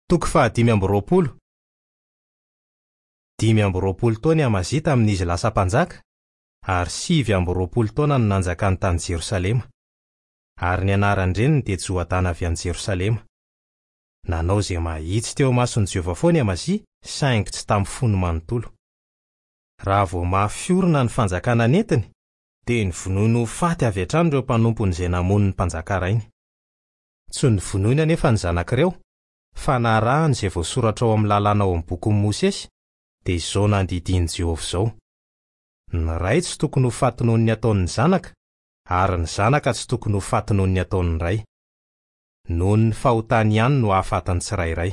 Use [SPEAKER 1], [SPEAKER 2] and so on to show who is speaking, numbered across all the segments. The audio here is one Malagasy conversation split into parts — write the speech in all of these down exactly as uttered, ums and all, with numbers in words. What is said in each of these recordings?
[SPEAKER 1] Toko fahadimy amby roapolo. Dimy amby roapolo taona i Amazia tamin'izy lasa mpanjaka, ary sivy amby roapolo taona no nanjakany tany Jerosalema. Ary ny anaran-dreniny dia Joadana avy any Jerosalema. Nanao izay mahitsy teo imason'i Jehovah foana i Amazia, saingy tsy tamin'ny fony manontolo. Raha vao mafy orina ny fanjakana nentiny, dia novonoiny ho faty avy hatrany ireo mpanompony izay namono ny mpanjaka rainy. Tsy novonoiny anefa ny zanak'ireo, fa narahany izay voasoratra ao amin'ny lalàna ao amin'ny bokin'i Mosesy, dia izao nandidian'i Jehovah izao: Ny ray tsy tokony ho faty noho ny ataon'ny zanaka, ary ny zanaka tsy tokony ho faty noho ny ataon'ny ray. Noho ny fahotany ihany no hahafaty ny tsirairay.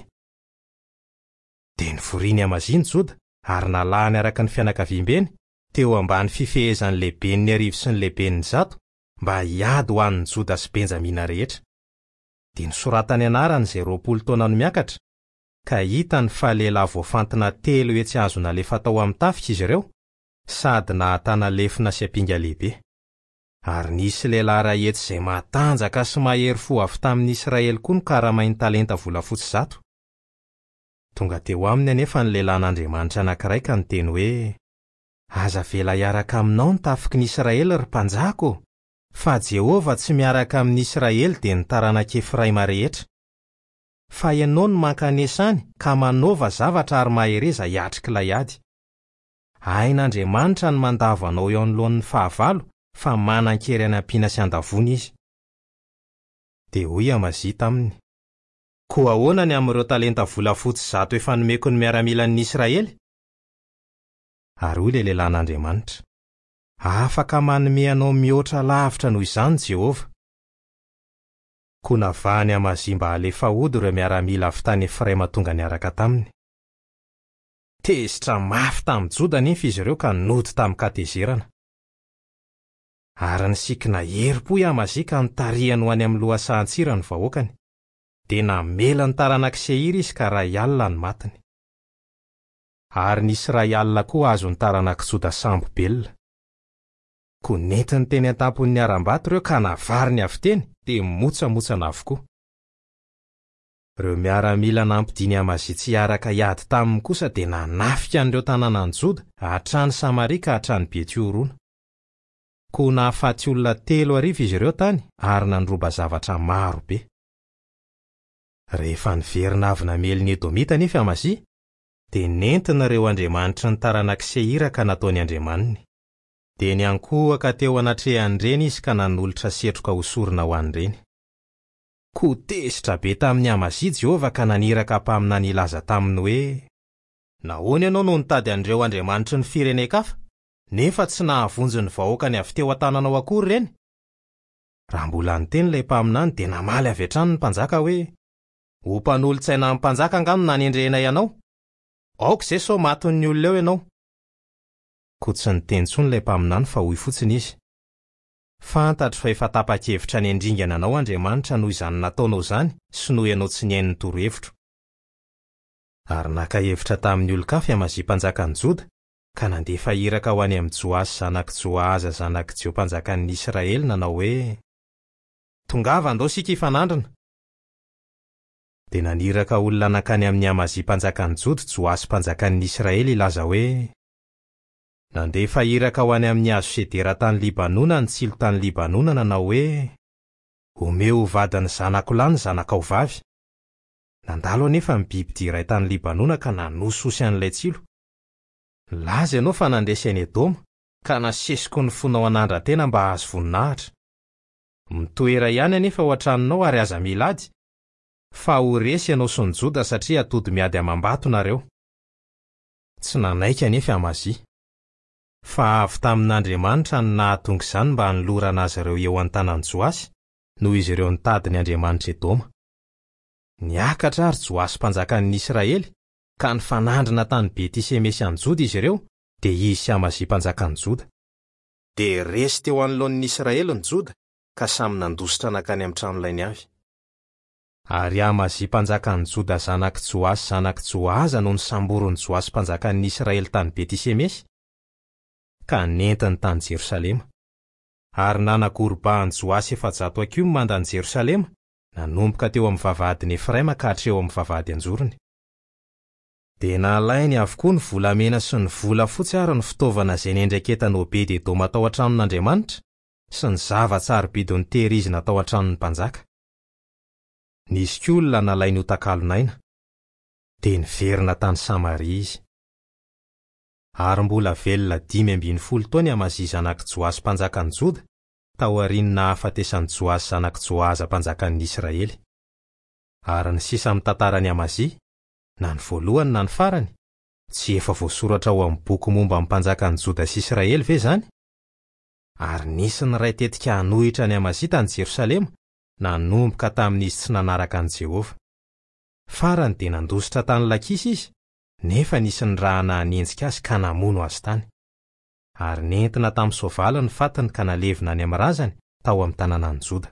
[SPEAKER 1] Dia novoriny Amazia ny Joda ary nalahany araka ny fianakaviambeny teo ambany fifehezan'ny lehiben'ny arivo sy ny lehiben'ny zato mba hiady ho an'ny Joda sy Benjamina rehetra. Dia nosoratany anarany izay roapolo taona no miakatra, ka hitany fa lehilahy voafantina telo hetsy azo nalefa tao amin'ny tafika izy ireo, sady nahatana lefona sy ampinga lehibe. Ary nisy lehilahy iray hetsy izay matanjaka sy mahery fo avy tamin'ny Israely koa nokaramainy talenta volafotsy zato. Tonga teo aminy anefa ny lehilahin'Andriamanitra anankiray ka niteny hoe: Aza avela hiaraka aminao ny tafiky ny Israely, ry mpanjaka ô, fa Jehovah tsy miaraka amin'ny Israely dia ny taranak'i Efraima rehetra. Fa ianao no mankanesa any ka manaova zavatra ary mahereza hiatrika ilay ady. Hain'Andriamanitra ny mandavo anao eo anoloan'ny fahavalo, fa manan-kery any ampiana sy andavoana izy. Dia hoy Amazia taminy: Koa ahoana ny amin'ireo talenta volafotsy zato efa nomeko ny miaramilan'ny Israely? Ary hoy ilay lehilahin'Andriamanitra: Afaka manome anao mihoatra lavitra noho izany Jehovah. Koa navahany Amazia mba halefa hody ireo miaramila avy tany Efraima tonga niaraka taminy. Tezitra mafy tamin'ny Joda anefa izy ireo ka nody tamin-katezerana. Ary nisikina herim-po i Amazia ka nitarihany ho any amin'ny lohasahan-tsira ny vahoakany. Dia namela ny taranak'i Seira izy ka iray alina ny matiny. Ary nisy iray alina koa azon'ny taranak'i Joda sambo-belona. Koa nentiny teny an-tampon'ny harambato ireo ka navariny avy teny, dia motsamotsana avokoa. Ireo miaramila nampidiny Amazia tsy hiaraka hiady taminy kosa dia nanafika an'ireo tanànan'i Joda hatrany Samaria ka hatrany Betiorona. Koa nahafaty olona telo arivo izy ireo tany ary nandroba zavatra maro be. Rehefa niverina avy namely ny Edomita anefa Amazia, dia nentina ireo andriamanitry ny taranak'i Seira ka nataony andriamaniny. Dia niankohoka teo anatrehan'ireny izy ka nanolotra setroka ho sorona ho an'ireny. Koa tezitra be tamin'i Amazia Jehovah ka naniraka mpaminany hilaza taminy hoe: Nahoana ianao no nitady an'ireo andriamanitry ny firenen-kafa, nefa tsy nahavonjy ny vahoakany avy teo an-tananao akory ireny? Raha mbola niteny ilay mpaminany dia namaly avy hatrany ny mpanjaka hoe: Ho mpanolotsaina amin'ny mpanjaka angaha no nanendrenay anao? Aoka izay sao matin'ny olona eo ianao. Koa tsy niteny intsony ilay mpaminany fa hoy fotsiny izy: Fantatro fa efa tapa-kevitra ny handringana anao Andriamanitra noho izany nataonao izany sy noho ianao tsy nihaino ny torohevitro. Ary naka hevitra tamin'ny olon-kafa i Amazia mpanjakan'i Joda ka nandefa iraka ho any amin'i Joasy zanak'i Joahaza zanak'i Jeho mpanjakan'ny Israely nanao hoe: Tongava andao isika hifanandrina. Dia naniraka olona nankany amin'i Amazia mpanjakan'i Joda Joasy mpanjakan'ny Israely hilaza hoe: Nandefa iraka ho any amin'ny hazo sedera tany Libanona ny tsilo tany Libanona nanao hoe: Omeo ho vadin'ny zanako lahy ny zanakao vavy. Nandalo anefa ny bibidia iray tany Libanona ka nanosihosy an'ilay tsilo. Nilaza ianao fa nandresy an'i Edoma, ka nasesiko ny fonao hanandra-tena mba hahazo voninahitra. Mitoera ihany anefa ao an-tranonao ary aza mila ady, fa ho resy ianao sy ny Joda satria atody miady amam-bato nareo. Tsy nanaiky anefa Amazia. Fa avy tamin'Andriamanitra no nahatonga izany mba hanolorana azy ireo eo an-tanan'i Joasy, noho izy ireo nitady ny andriamanitr'i Edoma. Niakatra ary Joasy mpanjakan'ny Israely, ka nifanandrina tany Beti-Semesy any Joda izy ireo, dia izy sy Amazia mpanjakan'i Joda. Dia resy teo anoloan'ny Israely ny Joda, ka samy nandositra nankany amin'ny tranolainy avy. Ary Amazia mpanjakan'i Joda zanak'i Joasy zanak'i Joahaza no nisamborin'i Joasy mpanjakan'ny Israely tany Beti-Semesy, ka nentiny tany Jerosalema. Ary nanagorobahan'i Joasy efajato hakiho ny mandan'i Jerosalema, nanomboka teo amin'ny vavahadin'i Efraima ka hatreo amin'ny vavahady an-jorony. Dia nalainy avokoa ny volamena sy ny volafotsy ary ny fitaovana izay nendraiketan'i Obed-Edoma tao an-tranon'Andriamanitra sy ny zava-tsarobidy notehirizina tao an-tranon'ny mpanjaka. Nisy koa olona nalainy ho takalon'aina. Dia niverina tany Samaria izy. Ary mbola velona dimy ambin'ny folo taona i Amazia zanak'i Joasy mpanjakan'i Joda, taorian'ny nahafatesan'i Joasy zanak'i Joaza mpanjakan'ny Israely. Ary ny sisa amin'ny tantaran'i Amazia, na ny voalohany na ny farany, tsy efa voasoratra ao amin'ny boky momba ny mpanjakan'i Joda sy Israely ve izany? Ary nisy niray tetika hanohitra an'i Amazia tany Jerosalema, nanomboka tamin'izy tsy nanaraka an'i Jehovah. Farany dia nandositra tany Lakisy izy, nefa nisy nirahana hanenjika azy ka namono azy tany. Ary nentina tamin'ny soavaly ny fatiny ka nalevina any amin'ny razany tao amin'ny tanànan'i Joda.